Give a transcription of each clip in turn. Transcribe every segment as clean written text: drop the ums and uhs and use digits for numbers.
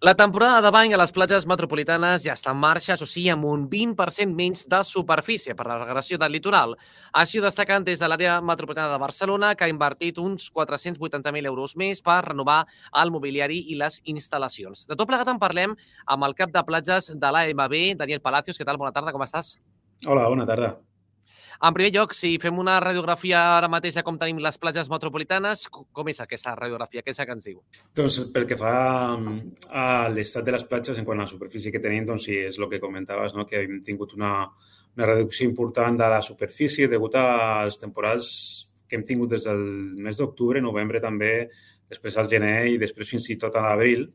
La temporada de bany a les platges metropolitanes ja està en marxa, això sí, amb un 20% menys de superfície per la regressió del litoral. Així ho destaquen des de l'àrea metropolitana de Barcelona, que ha invertit uns 480.000 euros més per renovar el mobiliari i les instal·lacions. De tot plegat en parlem amb el cap de platges de l'AMB, Daniel Palacios. Què tal? Bona tarda, com estàs? Hola, bona tarda. En primer lloc, si fem una radiografia ara mateix com tenim les platges metropolitanes, com és aquesta radiografia? Què és el que ens diu? Doncs pel que fa a l'estat de les platges en quant a la superfície que tenim, doncs sí, és el que comentaves, no? Que hem tingut una reducció important de la superfície degut als temporals que hem tingut des del mes d'octubre, novembre també, després al gener i després fins i tot a l'abril.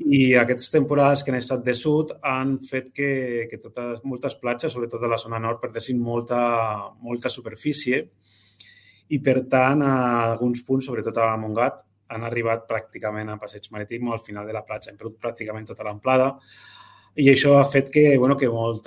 I aquests temporals que han estat de sud han fet que moltes platges, sobretot a la zona nord, perdessin molta superfície i, per tant, a alguns punts, sobretot a Montgat, han arribat pràcticament a Passeig Marítim o al final de la platja. Hem perdut pràcticament tota l'amplada i això ha fet que molts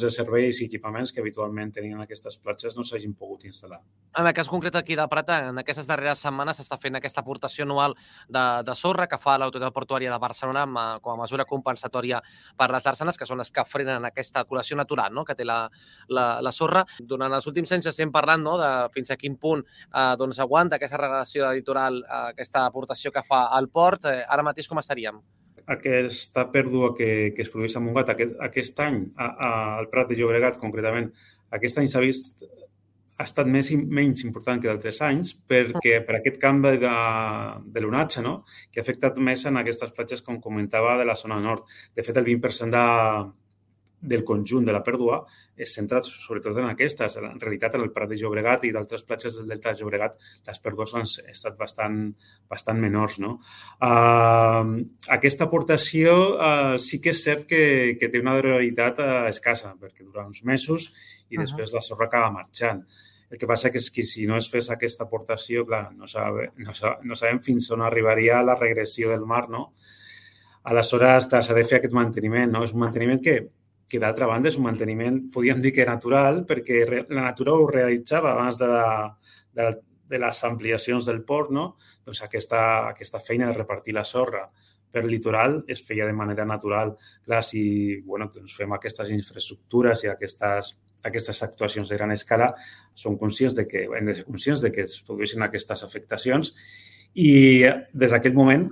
dels serveis i equipaments que habitualment tenien aquestes platges no s'hagin pogut instal·lar. En el cas concret aquí de Prat, en aquestes darreres setmanes s'està fent aquesta aportació anual de sorra que fa l'Autoritat Portuària de Barcelona com a mesura compensatòria per les darsanes, que són les que frenen aquesta col·lecció natural, no?, que té la sorra. Durant els últims anys estem parlant, no?, de fins a quin punt aguanta aquesta regulació del litoral, aquesta aportació que fa al port. Ara mateix com estaríem? Aquesta pèrdua que es produeix a Montgat aquest any, al Prat de Llobregat concretament, aquest any ha estat menys important que d'altres anys perquè per aquest canvi de l'onatge, no?, que ha afectat més en aquestes platges, com comentava, de la zona nord. De fet, el 20% del conjunt de la pèrdua és centrat sobretot en aquestes. En realitat, en el Prat de Llobregat i d'altres platges del Delta de Llobregat, les pèrdues han estat bastant menors, no? Aquesta aportació sí que és cert que té una durabilitat escassa, perquè dura uns mesos i després la sorra acaba marxant. El que passa és que si no es fes aquesta aportació, clar, no sabem fins on arribaria la regressió del mar, no? Aleshores, clar, s'ha de fer aquest manteniment, no? És un manteniment que d'altra banda és un manteniment, podríem dir que natural, perquè la natura ho realitzava abans de les ampliacions del port, no? Doncs aquesta feina de repartir la sorra per litoral es feia de manera natural. Clar, si doncs fem aquestes infraestructures i aquestes actuacions de gran escala, hem de ser conscients de que es produeixen aquestes afectacions i des d'aquell moment,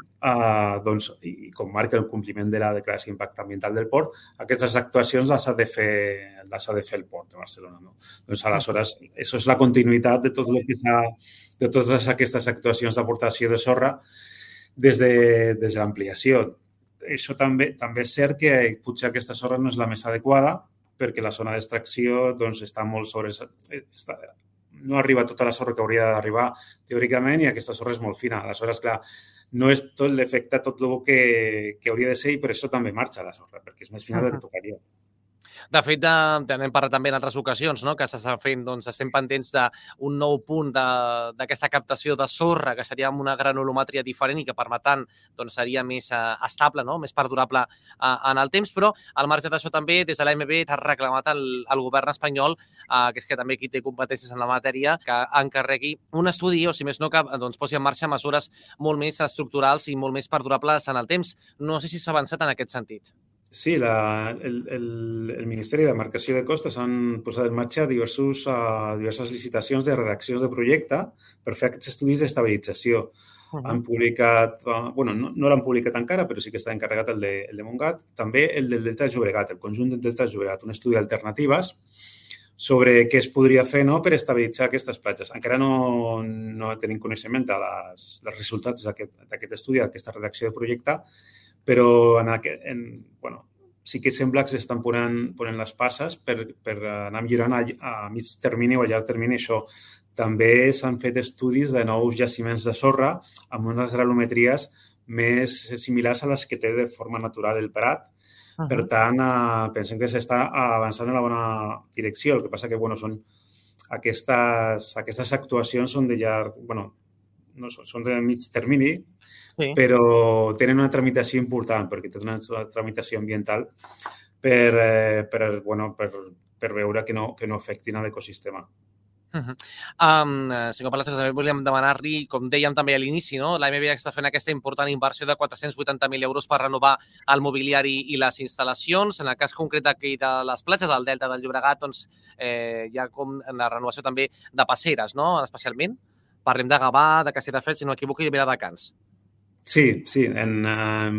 i com marca el compliment de la declaració d'impacte ambiental del port, aquestes actuacions les ha de fer el port de Barcelona, no? Doncs aleshores, això és la continuïtat de totes aquestes actuacions d'aportació de sorra des de l'ampliació. Això també és cert que potser aquesta sorra no és la més adequada perquè la zona d'extracció està molt no arriba tota la sorra que hauria d'arribar teòricament i aquesta sorra és molt fina. Aleshores, clar, no és tot l'efecte, tot el que hauria de ser i per això també marxa la sorra, perquè és més fina del que tocaria. De fet, n'hem parlat també en altres ocasions, no?, que s'està fent, estem pendents d'un nou punt d'aquesta captació de sorra, que seria amb una granulometria diferent i que permetant seria més estable, no?, més perdurable en el temps, però al marge d'això també, des de l'AMB t'ha reclamat al govern espanyol, que és que també qui té competències en la matèria, que encarregui un estudi, o si més no, que posi en marxa mesures molt més estructurals i molt més perdurables en el temps. No sé si s'ha avançat en aquest sentit. Sí, el Ministeri de Demarcació de Costes han posat en marxa diverses licitacions de redaccions de projecte per fer aquests estudis d'estabilització. Han publicat, no l'han publicat encara, però sí que està encarregat el de Montgat, també el del Delta de Llobregat, el conjunt del Delta de Llobregat, un estudi d'alternatives sobre què es podria fer per estabilitzar aquestes platges. Encara no tenim coneixement dels resultats d'aquest estudi, d'aquesta redacció de projecte, però sí que sembla que s'estan ponent les passes per anar millorant a mig termini o a llarg termini això. També s'han fet estudis de nous jaciments de sorra amb unes granulometries més similars a les que té de forma natural el Prat. Per tant, pensem que s'està avançant en la bona direcció. El que passa que són aquestes actuacions són són de mig termini, sí, però tenen una tramitació important perquè tenen una tramitació ambiental per veure que no afectin a l'ecosistema. Senyor Palacios, també volíem demanar-li, com dèiem també a l'inici, no? l'AMB està fent aquesta important inversió de 480.000 euros per renovar el mobiliari i les instal·lacions. En el cas concret d'aquí de les platges, al Delta del Llobregat, doncs, hi ha com la renovació també de passeres, no? Especialment. Parlem de Gavà, de Castelldefels, si no m'equivoco, i de Viladecans. Sí, hem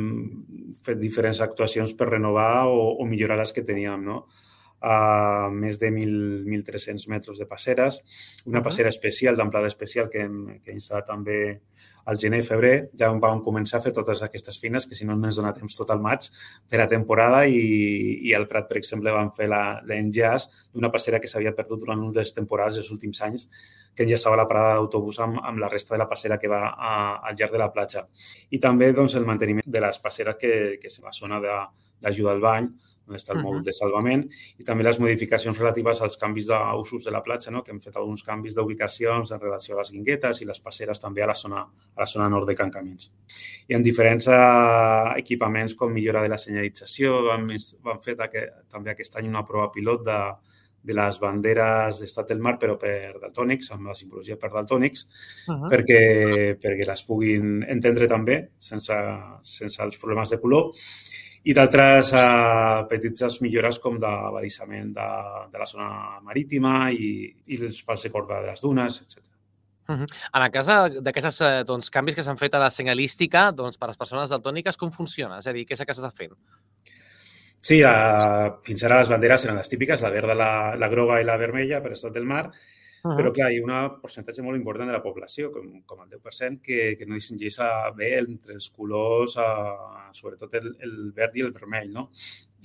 fet diferents actuacions per renovar o millorar les que teníem, no? Més de 1.300 metres de passeres, una passera especial, d'amplada especial, que hem instal·lat també al gener i febrer. Ja vam començar a fer totes aquestes feines, que si no ens dona temps tot el maig per a temporada, i al Prat, per exemple, vam fer l'enllaç d'una passera que s'havia perdut durant un dels temporals dels últims anys, que enllaçava la parada d'autobús amb la resta de la passera que va al llarg de la platja. I també doncs, el manteniment de les passeres que és la zona d'ajuda al bany, on està el mòdul de salvament, i també les modificacions relatives als canvis d'usos de la platja, no? Que hem fet alguns canvis d'ubicacions en relació a les guinguetes i les passeres també a la zona nord de Can Camins. Hi ha diferents equipaments com millora de la senyalització. Vam fer també aquest any una prova pilot de les banderes d'estat del mar, però per daltònics, amb la simbologia per daltònics, perquè les puguin entendre també sense els problemes de color. I d'altres petites millores com d'abadissament de la zona marítima i els pals de corda de les dunes, etc. En el cas d'aquests canvis que s'han fet a la senyalística, doncs, per a les persones daltòniques, com funciona? És a dir, què és el que s'està fent? Sí, fins ara les banderes eren les típiques, la verda, la groga i la vermella per estat del mar, però clar, hi ha un percentatge molt important de la població, com el 10%, que no distingeix bé entre els colors, sobretot el verd i el vermell, no?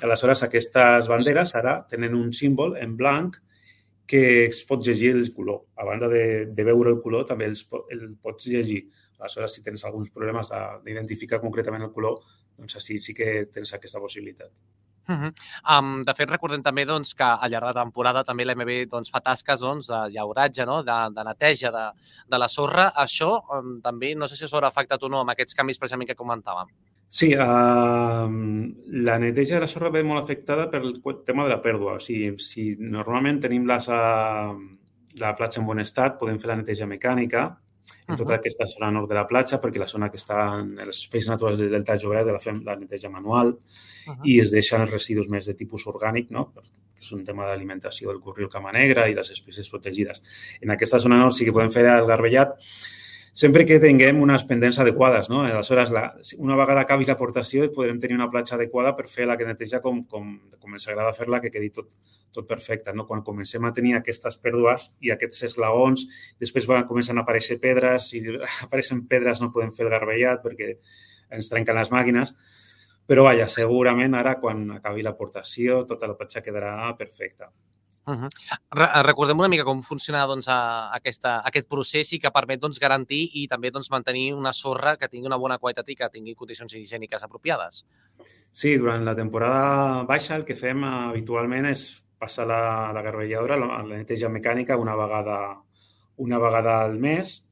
Aleshores, aquestes banderes ara tenen un símbol en blanc que es pot llegir el color. A banda de veure el color, també el pots llegir. Aleshores, si tens alguns problemes d'identificar concretament el color, doncs així sí que tens aquesta possibilitat. De fet, recordem també que al llarg de la temporada també l'AMB fa tasques de llauratge, de neteja de la sorra. Això també, no sé si s'haurà afectat o no amb aquests canvis precisament que comentàvem. Sí, la neteja de la sorra ve molt afectada pel tema de la pèrdua. O sigui, si normalment tenim la platja en bon estat, podem fer la neteja mecànica en tota aquesta zona nord de la platja, perquè la zona que està en els espais naturals del Delta del Llobregat la fem la neteja manual i es deixen els residus més de tipus orgànic, no? Que és un tema d'alimentació del corriol cama negra i les espècies protegides. En aquesta zona nord sí que podem fer el garbellat, sempre que tinguem unes pendents adequades, no? Aleshores, una vegada acabi l'aportació, podrem tenir una platja adequada per fer la neteja com ens agrada fer-la, que quedi tot perfecte, no? Quan comencem a tenir aquestes pèrdues i aquests esglaons, després comencen a aparèixer pedres, si apareixen pedres no podem fer el garbellat perquè ens trenquen les màquines, però vaja, segurament ara quan acabi l'aportació tota la platja quedarà perfecta. Recordem una mica com funciona aquest procés i que permet garantir i també mantenir una sorra que tingui una bona qualitat i que tingui condicions higièniques apropiades. Sí, durant la temporada baixa el que fem habitualment és passar la garbelladora, la neteja mecànica una vegada al mes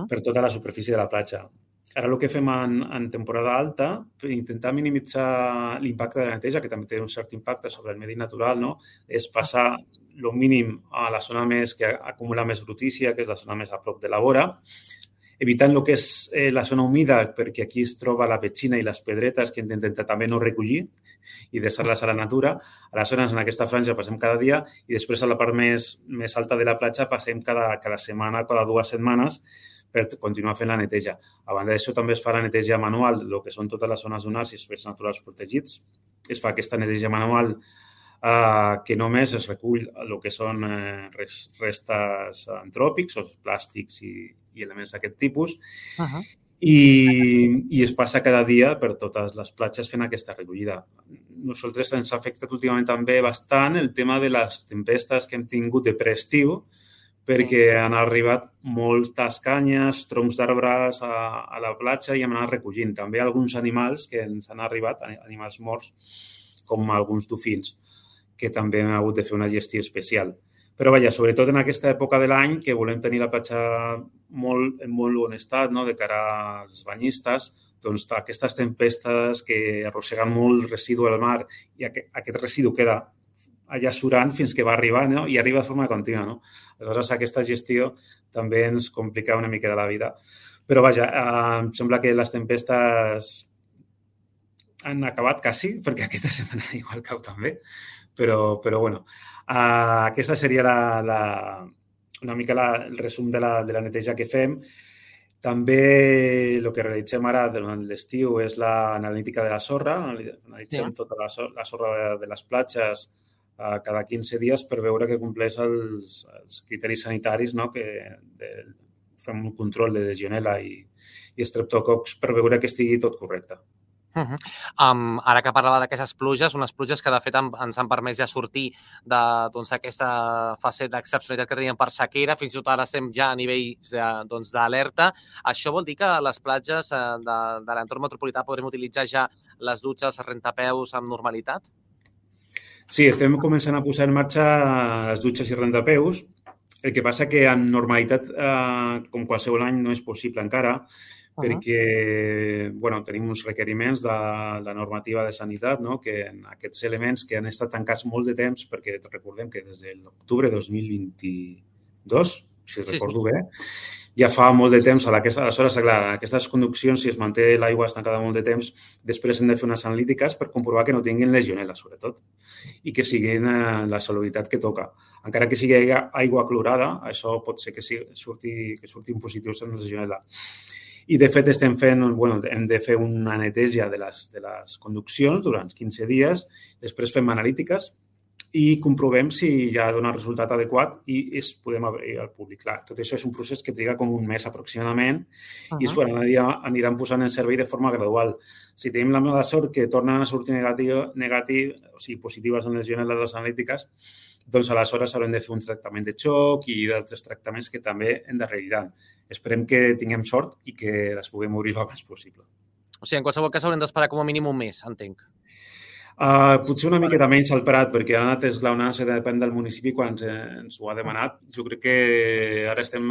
per tota la superfície de la platja. Ara el que fem en temporada alta, per intentar minimitzar l'impacte de la neteja, que també té un cert impacte sobre el medi natural, no? És passar el mínim a la zona que acumula més brutícia, que és la zona més a prop de la vora, evitant el que és la zona humida, perquè aquí es troba la petxina i les pedretes que intentem també no recollir i deixar-les a la natura. Aleshores, en aquesta franja passem cada dia i després a la part més alta de la platja passem cada setmana, cada 2 setmanes, per continuar fent la neteja. A banda d'això, també es fa la neteja manual, el que són totes les zones dunars i espais naturals protegits. Es fa aquesta neteja manual que només es recull el que són restes antròpics, o plàstics i elements d'aquest tipus, i es passa cada dia per totes les platges fent aquesta recollida. Nosaltres ens ha afectat últimament també bastant el tema de les tempestes que hem tingut de preestiu, perquè han arribat moltes canyes, troncs d'arbres a la platja i hem anat recollint. També alguns animals que ens han arribat, animals morts, com alguns dofins, que també hem hagut de fer una gestió especial. Però, vaja, sobretot en aquesta època de l'any, que volem tenir la platja en molt bon estat, no?, de cara als banyistes, doncs aquestes tempestes que arrosseguen molt residu al mar i aquest residu queda allà surant fins que va arribar, no? I arriba de forma contínua, no? Aleshores, aquesta gestió també ens complica una mica de la vida. Però, vaja, em sembla que les tempestes han acabat quasi, perquè aquesta setmana igual cau també. Però bueno, aquesta seria una mica el resum de la neteja que fem. També el que realitzem ara durant l'estiu és l'analítica de la sorra. Analitzem tota la sorra de les platges cada 15 dies per veure que compleix els criteris sanitaris, no? Fem un control de legionel·la i estreptococs per veure que estigui tot correcte. Ara que parlava d'aquestes pluges, unes pluges que de fet ens han permès ja sortir d'aquesta fase d'excepcionalitat que teníem per sequera, fins i tot ara estem ja a nivells d'alerta. Això vol dir que a les platges de l'entorn metropolità podrem utilitzar ja les dutxes rentapeus amb normalitat? Sí, estem començant a posar en marxa les dutxes i rentapeus. El que passa que en normalitat, com qualsevol any, no és possible encara, perquè tenim uns requeriments de la normativa de sanitat, no? Que en aquests elements que han estat tancats molt de temps, perquè recordem que des de l'octubre de 2022, si recordo bé, ja fa molt de temps. Aleshores, clar, aquestes conduccions, si es manté l'aigua estancada molt de temps, després hem de fer unes analítiques per comprovar que no tinguin legionel·la, sobretot, i que siguin la salubritat que toca. Encara que sigui aigua clorada, això pot ser que surtin positius en legionel·la. I, de fet, hem de fer una neteja de les conduccions durant 15 dies, després fem analítiques i comprovem si ja dona resultat adequat i podem obrir al públic. Clar, tot això és un procés que triga com un mes aproximadament i aniran posant en servei de forma gradual. Si tenim la mala sort que tornen a sortir o sigui, positives en legionel·la de les analítiques, doncs aleshores haurem de fer un tractament de xoc i d'altres tractaments que també endarreriran. Esperem que tinguem sort i que les puguem obrir el més possible. O sigui, en qualsevol cas haurem d'esperar com a mínim un mes, entenc. Potser una miqueta menys al Prat, perquè ha anat esglaonant-se, depèn del municipi quan ens ho ha demanat. Jo crec que ara estem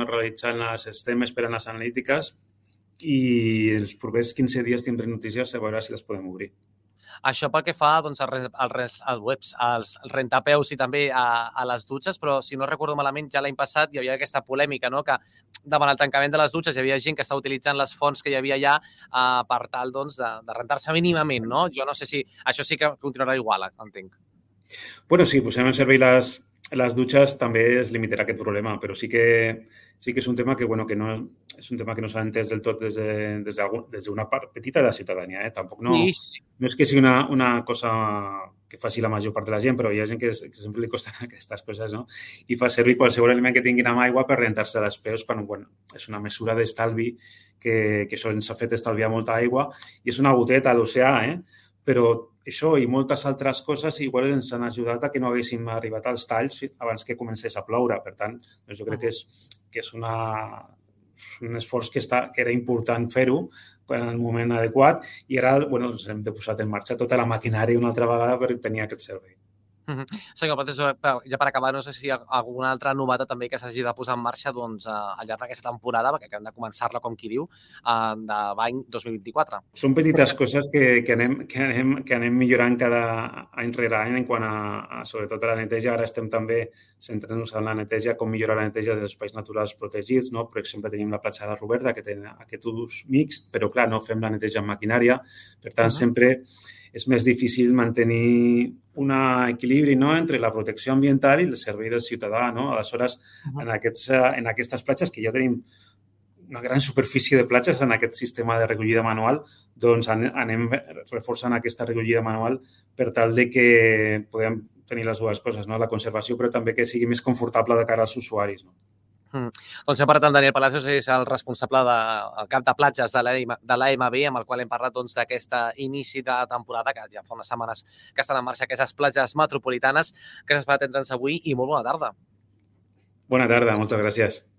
esperant les analítiques i els propers 15 dies tindrem notícies a veure si les podem obrir. Això pel que fa als rentapeus i també a les dutxes, però si no recordo malament, ja l'any passat hi havia aquesta polèmica, no? Que davant el tancament de les dutxes hi havia gent que estava utilitzant les fonts que hi havia allà per tal de rentar-se mínimament, no? Jo no sé si això sí que continuarà igual, entenc. Bueno, si posem en servei les dutxes també es limitarà aquest problema, però sí que és un tema que no s'ha entès del tot des d'una part petita de la ciutadania. Tampoc no és que sigui una cosa que faci la major part de la gent, però hi ha gent que sempre li costen aquestes coses, no? I fa servir qualsevol element que tinguin amb aigua per rentar-se les peus quan és una mesura d'estalvi que això ens ha fet estalviar molta aigua i és una goteta a l'oceà, però això i moltes altres coses igual ens han ajudat a que no haguéssim arribat als talls abans que comencés a ploure. Per tant, jo crec que és un esforç que era important fer-ho en el moment adequat i ara ens hem de posar en marxa tota la maquinària una altra vegada per tenir aquest servei. Senyor Patés, ja per acabar, no sé si hi ha alguna altra novetat també que s'hagi de posar en marxa al llarg d'aquesta temporada, perquè hem de començar-la, com qui diu, de l'any 2024. Són petites coses que anem millorant cada any rere any en quant a sobretot a la neteja. Ara estem també centrant-nos en la neteja, com millorar la neteja dels espais naturals protegits, no? Per exemple, tenim la platja de la Roberta, que té aquest ús mixt, però clar, no fem la neteja amb maquinària. Per tant, sempre és més difícil mantenir un equilibri, no?, entre la protecció ambiental i el servei del ciutadà, no? Aleshores, en aquestes platges, que ja tenim una gran superfície de platges en aquest sistema de recollida manual, doncs anem reforçant aquesta recollida manual per tal de que podem tenir les dues coses, no?, la conservació, però també que sigui més confortable de cara als usuaris, no? Doncs hem parlat amb Daniel Palacios, és el responsable del cap de platges de l'AMB, amb el qual hem parlat d'aquest inici de temporada, que ja fa unes setmanes que estan en marxa aquestes platges metropolitanes. Gràcies per atendre'ns avui i molt bona tarda. Bona tarda, moltes gràcies.